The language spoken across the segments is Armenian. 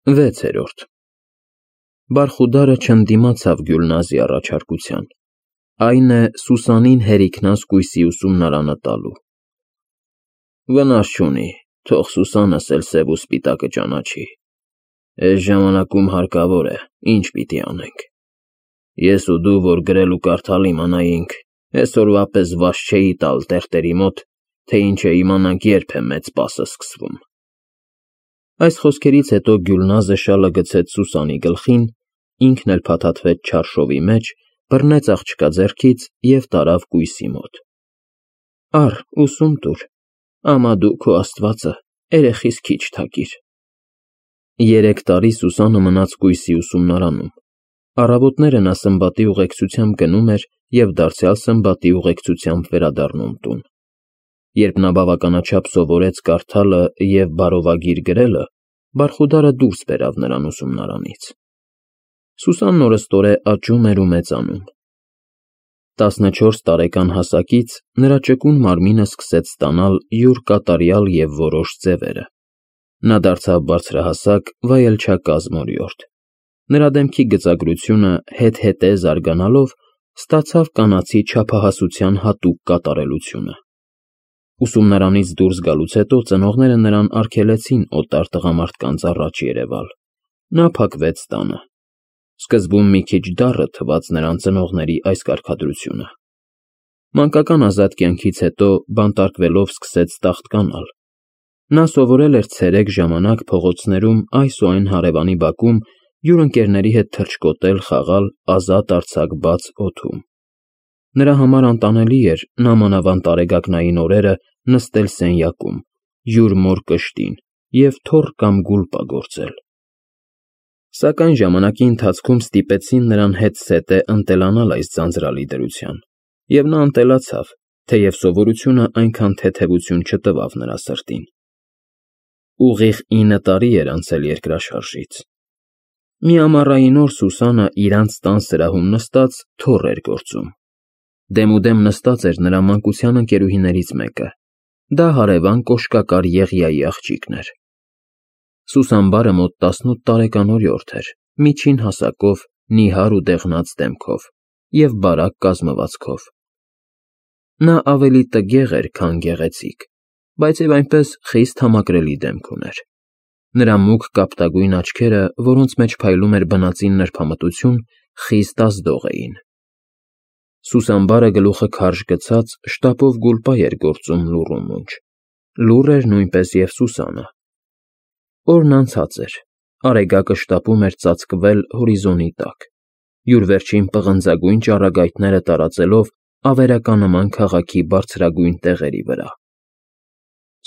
6. Բարխուդարը չընդդիմացավ Գյուլնազի առաջարկության, այն է Սուսանին հերիքնազգույսի ուսումնարանը տալու։ Վնաս չունի, թող Սուսանս էլ սև ու սպիտակը ճանաչի։ Այս ժամանակում հարկավոր է, ինչ պիտի անենք։ Ես ու դու, որ գրել ու կարդալ իմանայինք, այսօրվա պես վաշ չէի տալ տերտերի մոտ, թե ինչ է իմանանք երբ է մեծ պասը սկսվում։ Այս խոսքերից հետո Գյուլնազը շալը գցեց Սուսանի գլխին, ինքն էլ փաթաթվեց չարշովի մեջ, բռնեց աղջկա ձեռքից և տարավ կույսի մոտ։ Առ, ուսում տուր, ամա դու քո աստվածը, երեխիս քիչ թակիր։ 3 տարի Սուսանը մնաց կույսի ուսումնարանում։ Առավոտները նա սմբատի ուղեկցությամբ գնում էր և դարձյալ սմբատի ուղեկցությամբ վերադառնում տուն։ Երբ նա բավականաչափ սովորեց կարդալը և բարովագիր գրելը, Բարխուդարը դուրս բերավ նրան ուսումնարանից։ Սուսանն օրըստօրե աճում էր ու մեծանում։ 14 տարեկան հասակից նրա ճկուն մարմինը սկսեց ստանալ յուր կատարյալ և որոշ ձևերը։ Նա դարձավ բարձրահասակ, վայելչակազմ օրիորդ։ Նրա դեմքի գծագրությունը հետ-հետե զարգանալով ստացավ կանացի չափահասության հատուկ կատարելությունը։ Ուսումնարանից դուրս գալուց հետո ծնողները նրան արգելեցին օտար տղամարդկանց առաջ երևալ։ Նա փակվեց տանը։ Սկզբում մի քիչ դառը թվաց նրան ծնողների այս կարգադրությունը։ Մանկական ազատ կյանքից հետո բանտարկվելով սկսեց տաղտկանալ։ Նա սովորել էր ցերեկ ժամանակ փողոցներում այս ու այն հարևանի բակում յուր ընկերների հետ թռչկոտել, խաղալ ազատ արձակ բաց օդում։ Նրա համար անտանելի էր նամանավանդ տարեգակնային օրերը նստել սենյակում, յուր մոր կշտին և թոռ կամ գուլպա գործել։ Սակայն ժամանակի ընթացքում ստիպեցին նրան հետզհետե ընտելանալ այս ձանձրալի դրության, և նա ընտելացավ, թեև սովորությունը այնքան թեթևություն չտվավ նրա սրտին։ Ուղիղ 9 տարի էր անցել երկրաշարժից։ Մի ամառային օր Սուսանը իրանց տան սրահում նստած թոռ էր գործում։ Դեմուդեմ նստած էր նրա մանկության ընկերուհիներից մեկը։ Դա հարևան կոշկակար Եղիայի աղջիկն էր։ Սուսանբարը մոտ 18 տարեկան օրիորդ էր, միջին հասակով, նիհար ու դեղնած դեմքով և բարակ կազմվածքով։ Նա ավելի տգեղ էր, քան գեղեցիկ, բայց և այնպես խիստ համակրելի դեմք ուներ։ Նրա մուգ կապտագույն աչքերը, որոնց մեջ փայլում էր բնածին նրբամտություն, խիստ ազդող էին։ Սուսանբարը գլուխը քարշ գցած շտապով գուլպա էր գործում լուռ ու մունջ։ Լուռ էր նույնպես և Սուսանը։ Օրն անցած էր, արեգակը շտապում էր ծածկվել հորիզոնի տակ, յուր վերջին պղնձագույն ճառագայթները տարածելով ավերականման քաղաքի բարձրագույն տեղերի վրա։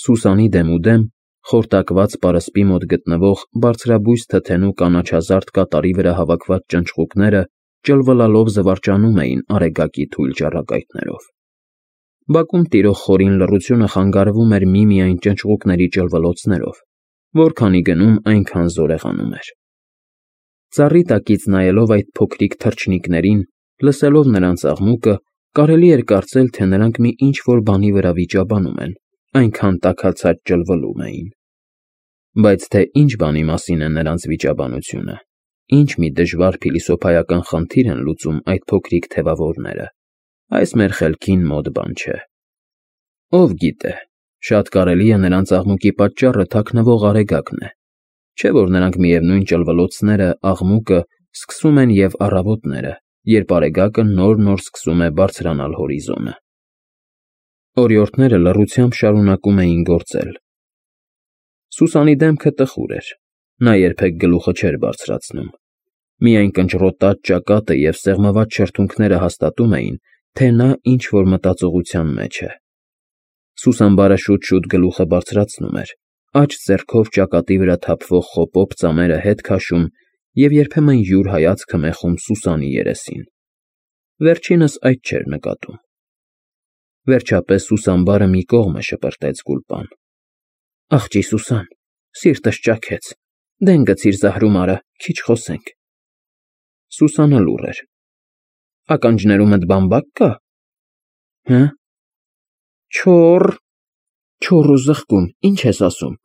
Սուսանի դեմուդեմ, խորտակված պարսպի մոտ գտնվող բարձրաբույս թթենու կանաչազարդ կատարի վրա հավաքված ճնճղուկները ճլվլալով զվարճանում էին արեգակի թույլ ճառագայթներով։ Բակում տիրող խորին լռությունը խանգարվում էր միմիայն ճնճղուկների ճլվլոցներով, որքանի գնում, այնքան զորեղանում էր։ Ծառի տակից նայելով այդ փոքրիկ թռչնիկներին, լսելով նրանց աղմուկը, կարելի էր կարծել, թե նրանք մի ինչ֊որ բանի վրա վիճաբանում են, այնքան տաքացած ճլվլում էին։ Բայց թե ինչ բանի մասին է նրանց վիճաբանությունը, ինչ մի դժվար փիլիսոփայական խնդիր են լուծում այդ փոքրիկ թևավորները, այս մեր խելքին մոտ բան չէ։ Ով գիտե, շատ կարելի է նրանց աղմուկի պատճառը թաքնվող արեգակն է, չէ՞ որ նրանք միևնույն ճլվլոցները, աղմուկը սկսում են և առավոտները, երբ արեգակը նոր֊նոր սկսում է բարձրանալ հորիզոնը։ Օրիորդները լռությամբ շարունակում էին գործել։ Սուսանի դեմքը տխուր էր, նա երբեք գլուխը չէր բարձրացնում։ Միայն կնճռոտած ճակատը և սեղմված շրթունքները հաստատում էին, թե նա ինչ֊որ մտածողության մեջ է։ Սուսանբարը շուտ֊շուտ գլուխը բարձրացնում էր, աջ ձեռքով ճակատի վրա թափվող խոպոպ ծամերը հետ քաշում և երբեմն յուր հայացքը մეხում Սուսանի երեսին։ Վերջինս այդ չէր նկատում։ Վերջապես Սուսանբարը մի կողմը շպրտեց գուլպան։ Աղջի Սուսան, սիրտս ճաքեց, դեն գցիր զահրումարը, քիչ խոսենք։ Սուսանը լուռ էր։ Ականջներումդ բամբակ կա։ Հը՞։ Չոռ։ Չոռ ու զղկում, ինչ ես ասում։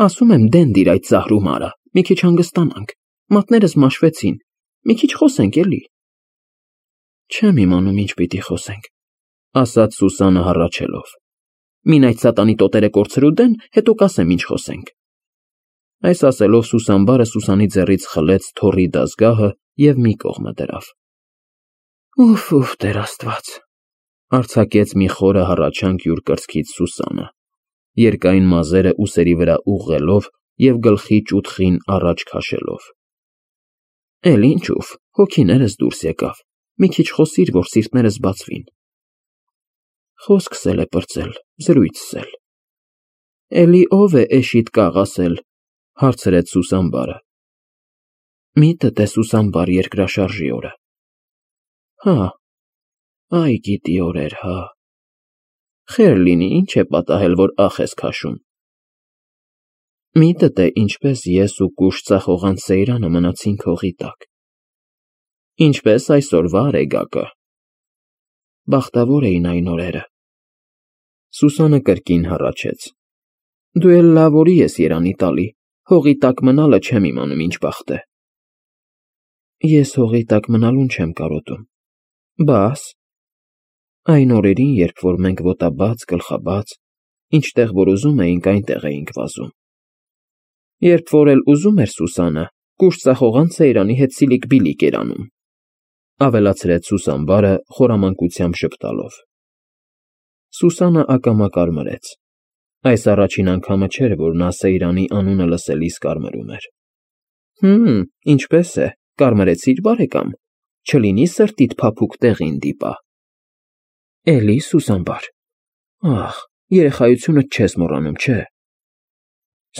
Ասում եմ դեն դիր այդ զահրումարը, մի քիչ հանգստանանք, մատներս մաշվեցին, մի քիչ խոսենք էլի։ Չեմ իմանում ինչ պիտի խոսենք, ասաց Սուսանը հառաչելով։ Մին այդ սատանի տոտերը կորցրու դեն, հետո կասեմ ինչ խոսենք։ Այս ասելով Սուսանբարը Սուսանի ձեռից խլեց թոռի դազգահը և մի կողմը դրավ։ Ուֆ, Տեր Աստված, արձակեց մի խորը հառաչանք յուր կրծքից Սուսանը, երկայն մազերը ուսերի վրա ուղղելով և գլխի ճուտխին առաջ քաշելով։ Էլ ինչ ուֆ, հոգիներս դուրս եկավ, մի քիչ խոսիր, որ սիրտներս բացվին։ Խոսքս էլ է պրծել, զրույցս էլ։ Էլի ով է էշիդ կաղ ասել, հարցրեց Սուսանբարը։ Միտդ է Սուսանբար երկրաշարժի օրը։ Հա, այ գիտի օրեր, հա։ Խեր լինի, ինչ է պատահել, որ ախ ես քաշում։ Միտդ է ինչպես ես ու կուշ ծախողան Սեյրանը մնացինք հողի տակ։ Ինչպես այսօրվա Արեգակը։ Բախտավոր էին այն օրերը։ Սուսանը կրկին հառաչեց։ Դու էլ լավ օրի ես երանի տալի, հողի տակ մնալը չեմ իմանում ինչ բախտ է։ Ես հողի տակ մնալուն չեմ կարոտում, բաս այն օրերին, երբ որ մենք ոտաբաց, գլխաբաց, ինչտեղ որ ուզում էինք, այնտեղ էինք վազում։ Երբ որ էլ ուզում էր Սուսանը, կուշ ծախողան Սեյրանի հետ սիլիկ-բիլիկ էր անում, ավելացրեց Սուսանբարը խորամանկությամբ ժպտալով։ Սուսանը ակամա կարմրեց։ Այս առաջին անգամը չէր, որ նա Սեյրանի անունը լսելիս կարմրում էր։ Ինչպես է, կարմրեցիր բարեկամ, չլինի սրտիդ փափուկ տեղին դիպա։ Էլի Սուսանբար, ախ, երեխայությունդ չես մոռանում, չէ։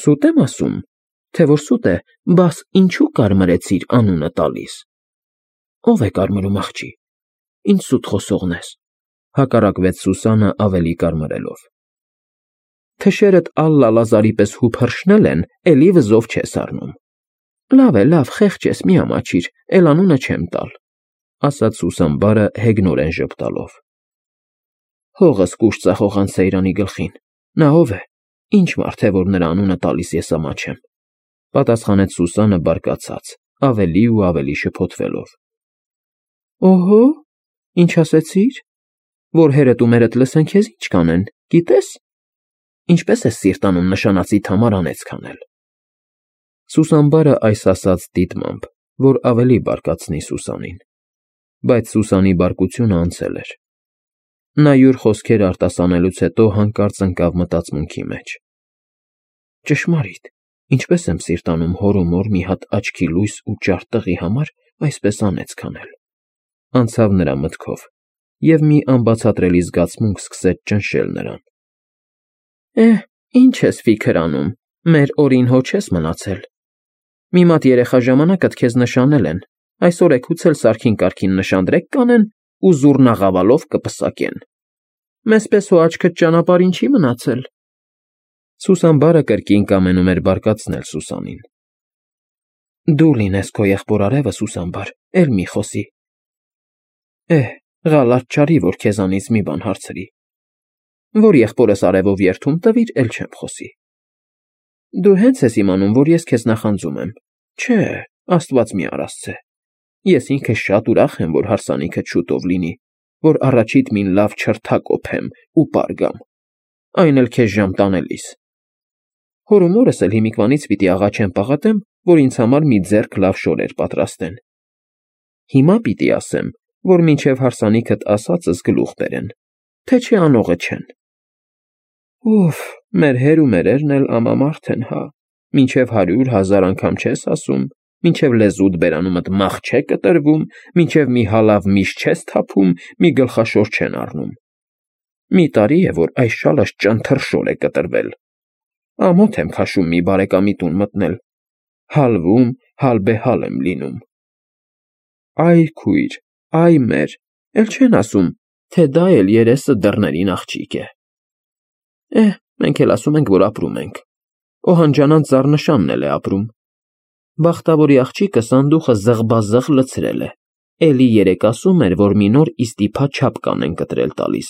Սուտ եմ ասում, թե որ սուտ է, բաս ինչու կարմրեցիր անունը տալիս։ Ով է կարմրում աղջի, ինչ սուտ խոսողն ես, հակառակվեց Սուսանը ավելի կարմրելով։ Թշերդ Ալլա Լազարի պես հուփ հրշնել են, էլի վզով չես առնում։ Լավ է, լավ, խեղճ ես, մի ամաչիր, էլ անունը չեմ տալ, ասաց Սուսանբարը հեգնորեն ժպտալով։ Հողս կուշ ծախողան Սեյրանի գլխին, նա ով է, ինչ մարդ է, որ նրա անունը տալիս ես ամաչեմ, պատասխանեց Սուսանը բարկացած, ավելի ու ավելի շփոթվելով։ Օհո, ինչ ասեցիր, որ հերդ ու մերդ լսեն քեզ ինչ կանեն, գիտես։ Ինչպես է սիրտանում նշանացիդ համար անեծք անել։ Սուսանբարը այս ասաց դիտմամբ, որ ավելի բարկացնի Սուսանին, բայց Սուսանի բարկությունը անցել էր։ Նա յուր խոսքերը արտասանելուց հետո հանկարծ ընկավ մտածմունքի մեջ։ Ճշմարիտ, ինչպես եմ սիրտանում հոր ու մոր մի հատ աչքի լույս ու ճարտ տղի համար այսպես անեծք անել։ Անցավ նրա մտքով, և մի անբացատրելի զգացմունք սկսեց ճնշել նրան։ Ինչ ես ֆիքր անում, մեր օրին հո չես մնացել։ Մի մատ երեխա ժամանակդ քեզ նշանել են, այսօր էգուց էլ սարքին կարգին նշանդրեք կանեն ու զուռնաղավալով կպսակեն։ Մեզ պես հո աչքդ ճանապարհին չի մնացել։ Սուսանբարը կրկին կամենում էր բարկացնել Սուսանին։ Դու լինես քո եղբոր արևը, Սուսանբար, էլ մի խոսի։ Ղալատ չարի, որ քեզանից մի բան հարցրի։ Որ եղբորս արևով երթում տվիր, էլ չեմ խոսի։ Դու հենց ես իմանում, որ ես քեզ նախանձում եմ։ Չէ, Աստված մի արասցե։ Ես ինքս շատ ուրախ եմ, որ հարսանիքդ շուտով լինի, որ առաջիդ մին լավ չրթակոփեմ ու պարգամ, այն էլ քեզ ժամ տանելիս։ Հոր ու մորս էլ հիմիկվանից պիտի աղաչեմ պաղատեմ, որ ինձ համար մի ձեռք լավ շորեր պատրաստեն։ Հիմա պիտի ասեմ, որ մինչև հարսանիքդ ասածս գլուխ բերեն, թե չէ անողը չեն։ Ուֆ, մեր հեր ու մերերն էլ ամամարդ են, հա, մինչև 100,000 անգամ չես ասում, մինչև լեզուդ բերանումդ մախ չէ կտրվում, մինչև մի հալավ միշ չես թափում, մի գլխաշոր չեն առնում։ Մի տարի է, որ այս շալս ճանթռշոր է կտրվել։ Ամոթ եմ քաշում մի բարեկամի տուն մտնել։ Հալվում, հալբեհալ եմ լինում։ Այ քույր, այ մեր, էլ չեն ասում, թե դա էլ երեսը դռներին աղջիկ է։ Մենք էլ ասում ենք, որ ապրում ենք։ Օհանջանան ծառնշանն էլ է ապրում։ Բախտավորի աղջիկը սանդուխը զղբազղ լցրել է, էլի երեկ ասում էր, որ մի նոր իստիփա չապկան են կտրել տալիս։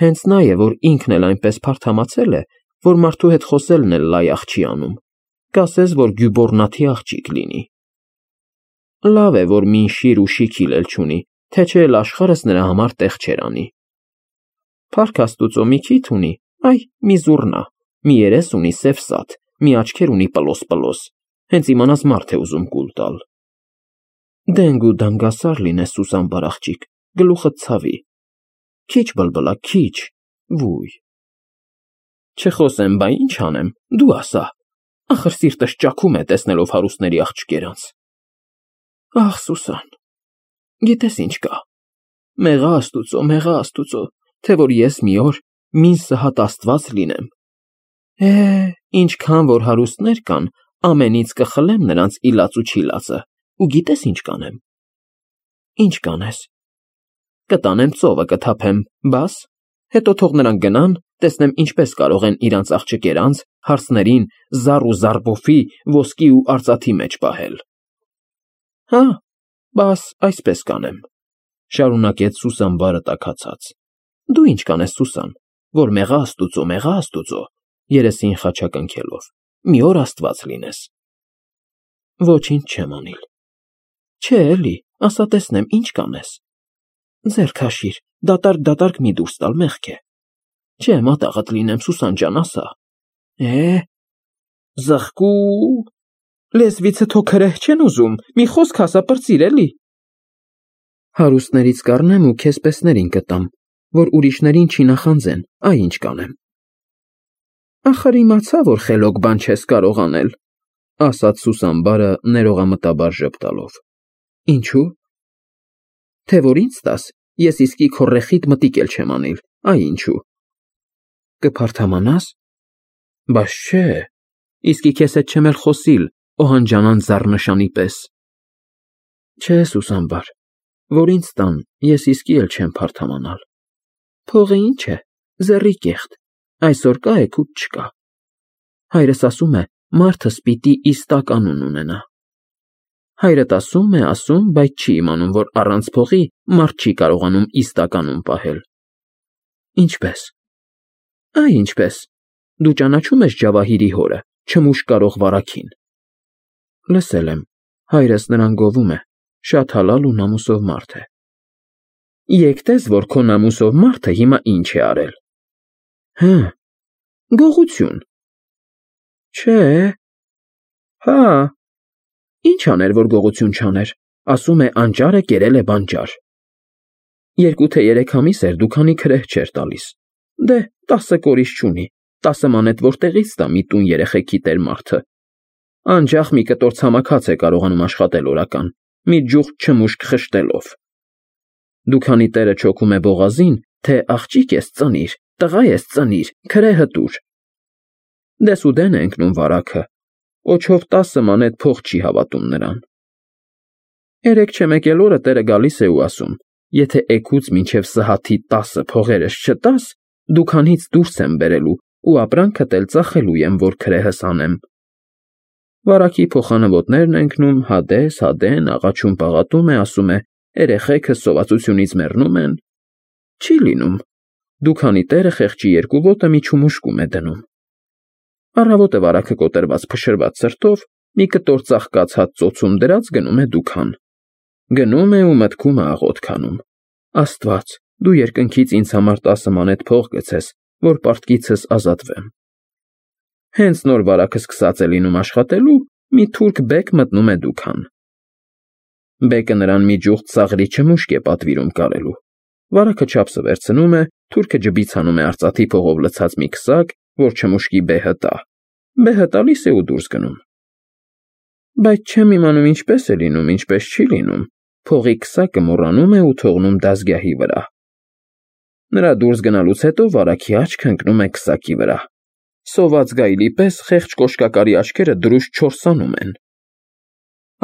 Հենց նա է, որ ինքն էլ այնպես փարթամացել է, որ մարդու հետ խոսելն էլ լայախ չի անում, կասես, որ գյուբորնաթի աղջիկ լինի։ Լավ է, որ մին շիր ու շիքիլ էլ չունի, թե չէ էլ աշխարհս նրա համար տեղ չեր անի։ Փառք Աստուծո մի քիթ ունի, այ մի զուռնա, մի երես ունի սև սաթ, մի աչքեր ունի պլոս, հենց իմանաս մարդ է ուզում կուլ տալ։ Դենգ ու դանգասար լինես Սուսան բարաղջիկ, գլուխդ ցավի։ Քիչ բլբլա, քիչ, վույ։ Չխոսեմ, բա ինչ անեմ, դու ասա, ախր սիրտս ճաքում է տեսնելով հարուստների աղջկերանց։ Ախ, Սուսան, գիտես ինչ կա, մեղա Աստուծո, թե որ ես մի օր մին սհատ Աստված լինեմ։ Ինչքան որ հարուստներ կան, ամենից կխլեմ նրանց իլած ու չիլածը, ու գիտես ինչ կանեմ։ Ինչ կանես։ Կտանեմ ծովը կթափեմ, բաս, հետո թող նրանք գնան, տեսնեմ ինչպես կարող են իրանց աղջկերանց հարսներին զառ ու զարբոֆի, ոսկի ու արծաթի մեջ պահել։ Հա, բաս այսպես կանեմ, շարունակեց Սուսան բարը տաքացած։ Դու ինչ կանես, Սուսան, որ մեղա Աստուծո, երեսին խաչակնքելով, մի օր Աստված լինես։ Ոչինչ չեմ անիլ։ Չէ էլի, ասա տեսնեմ, ինչ կանես։ Ձեռք հաշիր, դատարկ մի դուրս տալ մեղք է։ Չէ, մատաղդ լինեմ, Սուսան ջան, ասա։ Զղկու, լեզվիցդ հո քրեհ չեն ուզում, մի խոսք ասա պրծիր էլի։ Հարուստներից կառնեմ ու քեզ պեսներին կտամ, որ ուրիշներին չի նախանձեն, այ ինչ կանեմ։ Ախր իմացա, որ խելոք բան չես կարող անել, ասաց Սուսան բարը ներողամտաբար ժպտալով։ Ինչու՞։ Թե որ ինձ տաս, ես իսկի քո ռեխիտ մտիկ էլ չեմ անիլ, այ ինչու։ Կփարթամանաս։ Բայց չէ, իսկի քեզ հետ չեմ էլ խոսիլ, օհանջանան զառնշանի պես։ Չէ, Սուսան բար, որ ինձ տան, ես իսկի էլ չեմ փարթամանալ։ Փողը ինչ է, զեռի կեղտ, այսօր կա է, քուտ չկա։ Հայրս ասում է, մարդս պիտի իստակ անուն ունենա։ Հայրդ ասում է, բայց չի իմանում, որ առանց փողի մարդ չի կարողանում իստակ անուն պահել։ Ինչպես։ Այ ինչպես։ Դու ճանաչում ես Ջավահիրի հորը, չմուշ կարող վարակին։ Լսել եմ, հայրս նրան գովում է, շատ հալալ ու նամուսով մարդ է։ Եկտես, որ քո նամուսով մարդը հիմա ինչ է արել։ Հը, գողություն։ Չէ։ Հա։ Ինչ աներ, որ գողություն չաներ, ասում է անճարը կերել է բանճար։ 2 թե 3 ամիս էր դուքանի քրեհ չէր տալիս։ Դե 10 կորիշ չունի, 10 մանետ որտեղից տա մի տուն երեխեքի տեր մարդը։ Անջախ մի կտոր ցամաքած է կարողանում աշխատել օրական, մի ջուղթ չմուշկ խշտելով։ Դուքանի տերը չոքում է բողազին, թե աղջիկ ես ծնիր, տղա ես ծնիր, քրեհը տուր։ Դեսուդեն է ընկնում վարակը, օչով 10 մանետ փող չի հավատում նրան։ 3 չեմեկել օրը տերը գալիս է ու ասում. Եթե էգուց մինչև սհաթի 10 փողերս չտաս, դուքանից դուրս եմ բերելու ու ապրանքդ էլ ծախելու եմ, որ քրեհս անեմ։ Վարակի փոխանվոտներն ընկնում, հադեն, աղաչում պաղատում է, ասում է, երեխեքը սովածությունից մեռնում են։ Չի լինում։ Դուքանի տերը խեղճի 2 ոտը մի չումուշկում է դնում։ Առավոտը վարակը կոտրված փշրված սրտով, մի կտոր ծաղկած հատ ծոցում դրած գնում է դուքան։ Գնում է ու մտքում է աղոտ քանում։ Աստված, դու երկնքից ինձ համար 10 մանետ փող գցես, որ պարտքիցս ազատվեմ։ Հենց նոր վարակը սկսած է լինում աշխատելու, մի թուրք բեկ մտնում է դուքան։ Բեկը նրան մի ջուղթ ծաղրի չմուշկ է պատվիրում կարելու։ Վարակը չափսը վերցնում է, թուրքը ջբից հանում է արծաթի փողով լցած մի քսակ, որ չմուշկի բեհը տա։ Բեհը տալիս է ու դուրս գնում։ Բայց չեմ իմանում ինչպես է լինում, ինչպես չի լինում։ Փողի քսակը մոռանում է ու թողնում դազգյահի վրա։ Նրա դուրս գնալուց հետո վարակի աչքը ընկնում է քսակի վրա։ Սոված գայլի պես խեղճ կոշկակարի աչքերը դրուժ չորսանում են։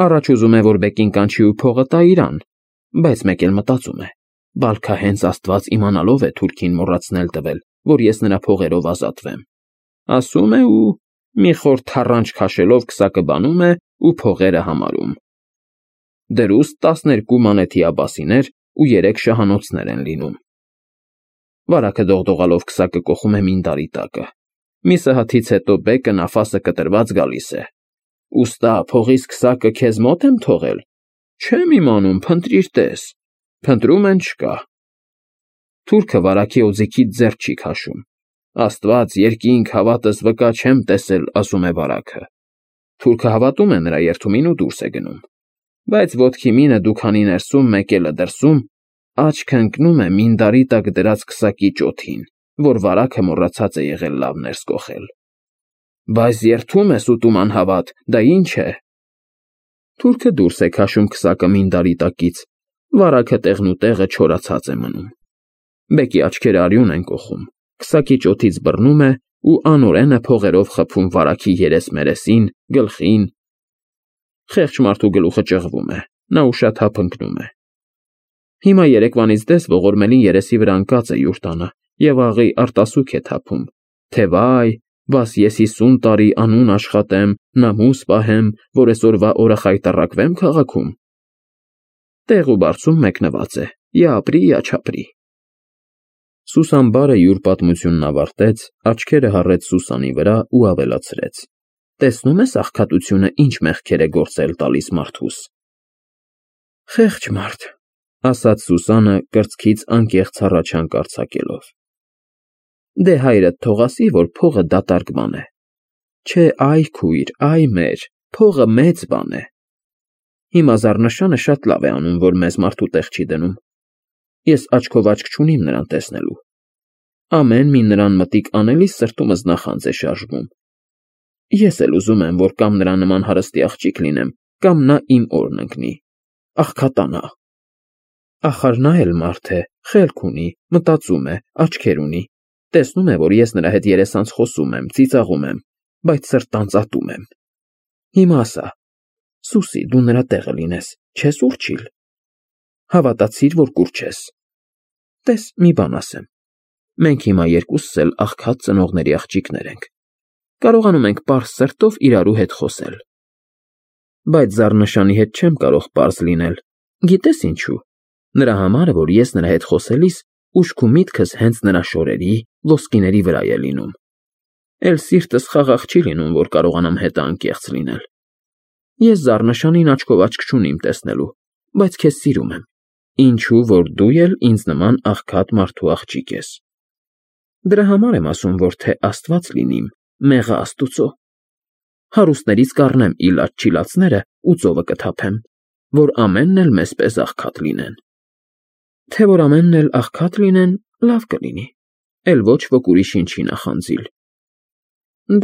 Առաջ ուզում է, որ բեկին կանչի ու փողը տա իրան, բայց մեկ էլ մտածում է. Բալքա հենց Աստված իմանալով է թուրքին մոռացնել տվել, որ ես նրա փողերով ազատվեմ։ Ասում է ու մի խոր թառանչ քաշելով քսակը բանում է ու փողերը համարում։ Դրուստ 12 մանեթի աբասիներ ու 3 շահանոցներ են լինում։ Վարակը դողդողալով քսակը կոխում է մինդարի տակը։ Մի սհաթից հետո բեկը նաֆասը կտրված գալիս է։ Ուստա փողից քսակը քեզ մոտ եմ թողել։ Չեմ իմանում, փնտրիր տես։ Փնտրում են չկա։ Թուրքը վարակի օձիքից ձեռ չի քաշում։ Աստված երկինք հավատս վկա չեմ տեսել, ասում է վարակը։ Թուրքը հավատում է նրա երթումին ու դուրս է գնում։ Բայց ոտքի մինը դուքանի ներսում, մեկելը դրսում, աչքը ընկնում է մինդարի տակ դրած քսակի ճոթին, որ վարակը մոռացած է եղել լավ ներս կոխել։ Բայց երթում ես ուտում անհավատ, դա ինչ է։ Թուրքը դուրս է քաշում քսակը մինդարի տակից, վարակը տեղնուտեղը չորացած է մնում։ Բեկի աչքերը արյուն են կոխում, քսակի ճոթից բռնում է ու անօրեն է փողերով խփում վարակի երես-մերեսին, գլխին։ Խեղճ մարդու գլուխը ճղվում է, նա ուշաթափ ընկնում է։ Հիմա երեկվանից դες ողորմելին երեսի վրա ընկած է յուր տանը և աղի արտասուք է թափում, թե վայ, բաս ես 50 տարի անուն աշխատեմ, նամուս պահեմ, որ էսօրվա օրը խայտառակվեմ քաղաքում։ Տեղ ու բարձում մեկնված է, յա ապրի, յա չապրի։ Սուսանբարը յուր պատմությունն ավարտեց, աչքերը հառեց Սուսանի վրա ու ավելացրեց. Տեսնում ես աղքատությունը ինչ մեղքեր է գործել տալիս մարդուս։ Խեղճ մարդ, ասաց Սուսանը կրծքից անկեղծ հառաչանք արձակելով։ Դե հայրդ թող ասի, որ փողը դատարկ բան է։ Չէ, այ քույր, այ մեր, փողը մեծ բան է։ Հիմա Զառնշանը շատ լավ է անում, որ մեզ մարդու տեղ չի դնում։ Ես աչքով աչք չունիմ նրան տեսնելու։ Ամեն մի նրան մտիկ անելիս սրտումս նախանձ է շարժվում։ Ես էլ ուզում եմ, որ կամ նրա նման հարստի աղջիկ լինեմ, կամ նա իմ օրն ընկնի, աղքատանա։ Ախար նա էլ մարդ է, խելք ունի, մտածում է, աչքեր ունի, տեսնում է, որ ես նրա հետ երեսանց խոսում եմ, ծիծաղում եմ, բայց սրտանց ատում եմ։ Հիմա ասա, Սուսի, դու նրա տեղը լինես, չես ուռչիլ։ Հավատացիր, որ կուռչես։ Տես, մի բան ասեմ։ Մենք հիմա երկուսս էլ աղքատ ծնողների աղջիկներ ենք։ Կարողանում ենք պարզ սրտով իրարու հետ խոսել։ Բայց Զառնշանի հետ չեմ կարող պարզ լինել։ Գիտես ինչու։ Նրա համար, որ ես նրա հետ խոսելիս ուշք ու միտքս հենց նրա շորերի, ոսկիների վրա է լինում։ Էլ սիրտս խաղաղ չի լինում, որ կարողանամ հետը անկեղծ լինել։ Ես Զառնշանին աչքով աչք չունիմ տեսնելու, բայց քեզ սիրում եմ, ինչու որ դու էլ ինձ նման աղքատ մարդու աղջիկ ես։ Դրա համար եմ ասում, որ թե Աստված լինիմ, մեղը Աստուծո։ Հարուստներից կառնեմ իլաց-չիլացները ու ծովը կթափեմ, որ ամենն էլ մեզպես աղքատ լինեն։ Թե որ ամենն էլ աղքատ լինեն, լավ կլինի, էլ ոչ ոք ուրիշին չի նախանձիլ։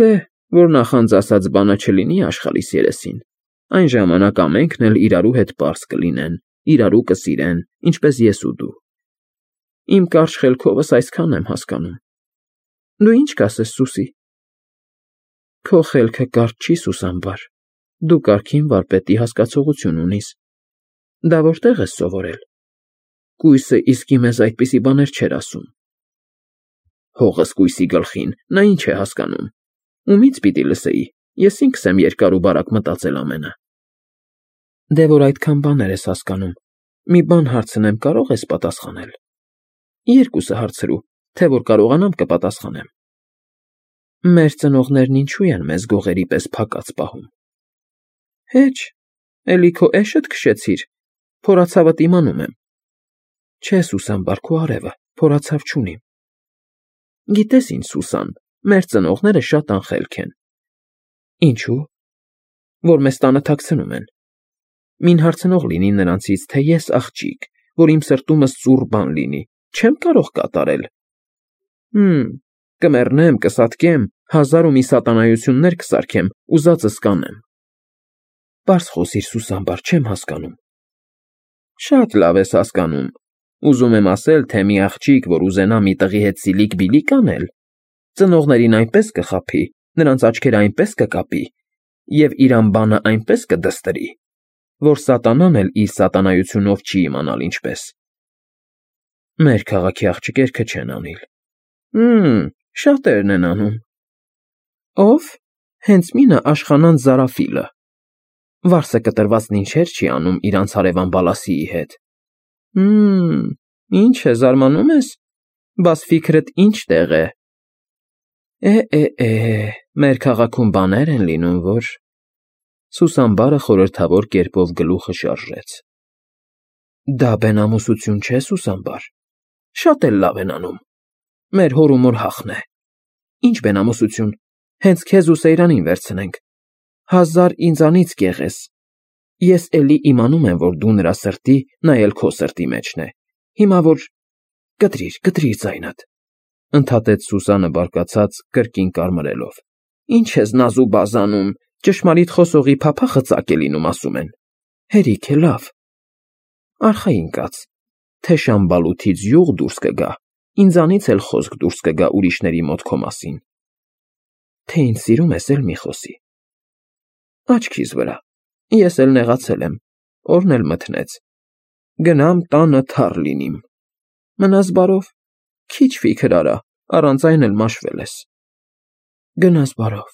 Դե, որ նախանձ ասած բանը չլինի աշխարհիս երեսին, այն ժամանակ ամենքն էլ իրարու հետ պարզ կլինեն, իրարու կսիրեն, ինչպես ես ու դու։ Իմ կարճ խելքովս այսքան եմ հասկանում։ Դու ինչ կասես, Սուսի։ Քո խելքը կարճ չի, Սուսանբար։ Դու կարգին վարպետի հասկացողություն ունիս։ Դա որտեղ ես սովորել։ Կույսը իսկի մեզ այդպիսի բաներ չէր ասում։ Հողս կույսի գլխին, նա ինչ է հասկանում։ Ումից պիտի լսեի, ես ինքս եմ երկար ու բարակ մտածել ամենը։ Դե որ այդքան բաներ ես հասկանում, մի բան հարցնեմ, կարող ես պատասխանել։ Երկուսը հարցրու, թե որ կարողանամ կպատասխանեմ։ Մեր ծնողներն ինչու են մեզ գողերի պես փակած պահում։ Հեչ, էլի քո էշդ քշեցիր, փորացավդ իմանում եմ։ Չէ, Սուսանբար, քո արևը, փորացավ չունիմ։ Գիտես ինչ, Սուսան, մեր ծնողները շատ անխելք են։ Ինչու։ Որ մեզ տանը թաքցնում են։ Մին հարցնող լինի նրանցից, թե ես աղջիկ, որ իմ սրտումս ծուռ բան լինի, չեմ կարող կատարել։ Կմեռնեմ, կսատկեմ, 1000 ու մի սատանայություններ կսարքեմ, ուզածս կանեմ։ Պարզ խոսիր, Սուսանբար, չեմ հասկանում։ Շատ լավ ես հասկանում։ Ուզում եմ ասել, թե մի աղջիկ, որ ուզենա մի տղի հետ սիլիկ-բիլիկ անել, ծնողներին այնպես կխաբի, նրանց աչքերը այնպես կկապի, և իր անբանը այնպես կդստրի, որ սատանան էլ իր սատանայությունով չի իմանալ ինչպես։ Մեր քաղաքի աղջիկերքը չեն անիլ։ Շատերն են անում։ Ով։ Հենց մինը Աշխանան Զարաֆիլը։ Վարսը կտրվածն ինչեր չի անում իրանց հարևան Բալասիի հետ։ Ինչ է, զարմանում ես։ Բաս ֆիքրդ ինչ տեղ է։ Մեր քաղաքում բաներ են լինում, որ… Սուսամբարը խորհրդավոր կերպով գլուխը շարժեց։ Դա բենամուսություն չէ, Սուսամբար, շատ էլ լավ են անում, մեր հոր ու մոր հախն է։ Ինչ բենամուսություն, հենց քեզ ու Սեյրանին վերցնենք, 1000 ինձանից կեղ ես, ես էլի իմանում եմ, որ դու նրա սրտի, նա էլ քո սրտի մեջն է, հիմա որ… Կտրիր ձայնդ, ընդհատեց Սուսանը բարկացած, կրկին կարմրելով, ինչ ես նազու բազանում, ճշմարիտ խոսողի փափախը ծակ է լինում, ասում են, հերիք է, լավ, արխային կաց, թե Շամբալութից յուղ դուրս կգա, ինձանից էլ խոսք դուրս կգա ուրիշների մոտ քո մասին, թե ինձ սիրում ես էլ մի խոսի, աչքիս վրա, ես էլ նեղացել եմ, օրն էլ մթնեց, գնամ տանը թառ լինիմ, մնաս բարով, քիչ ֆիքր արա, առանց այն էլ մաշվել ես, գնաս բարով։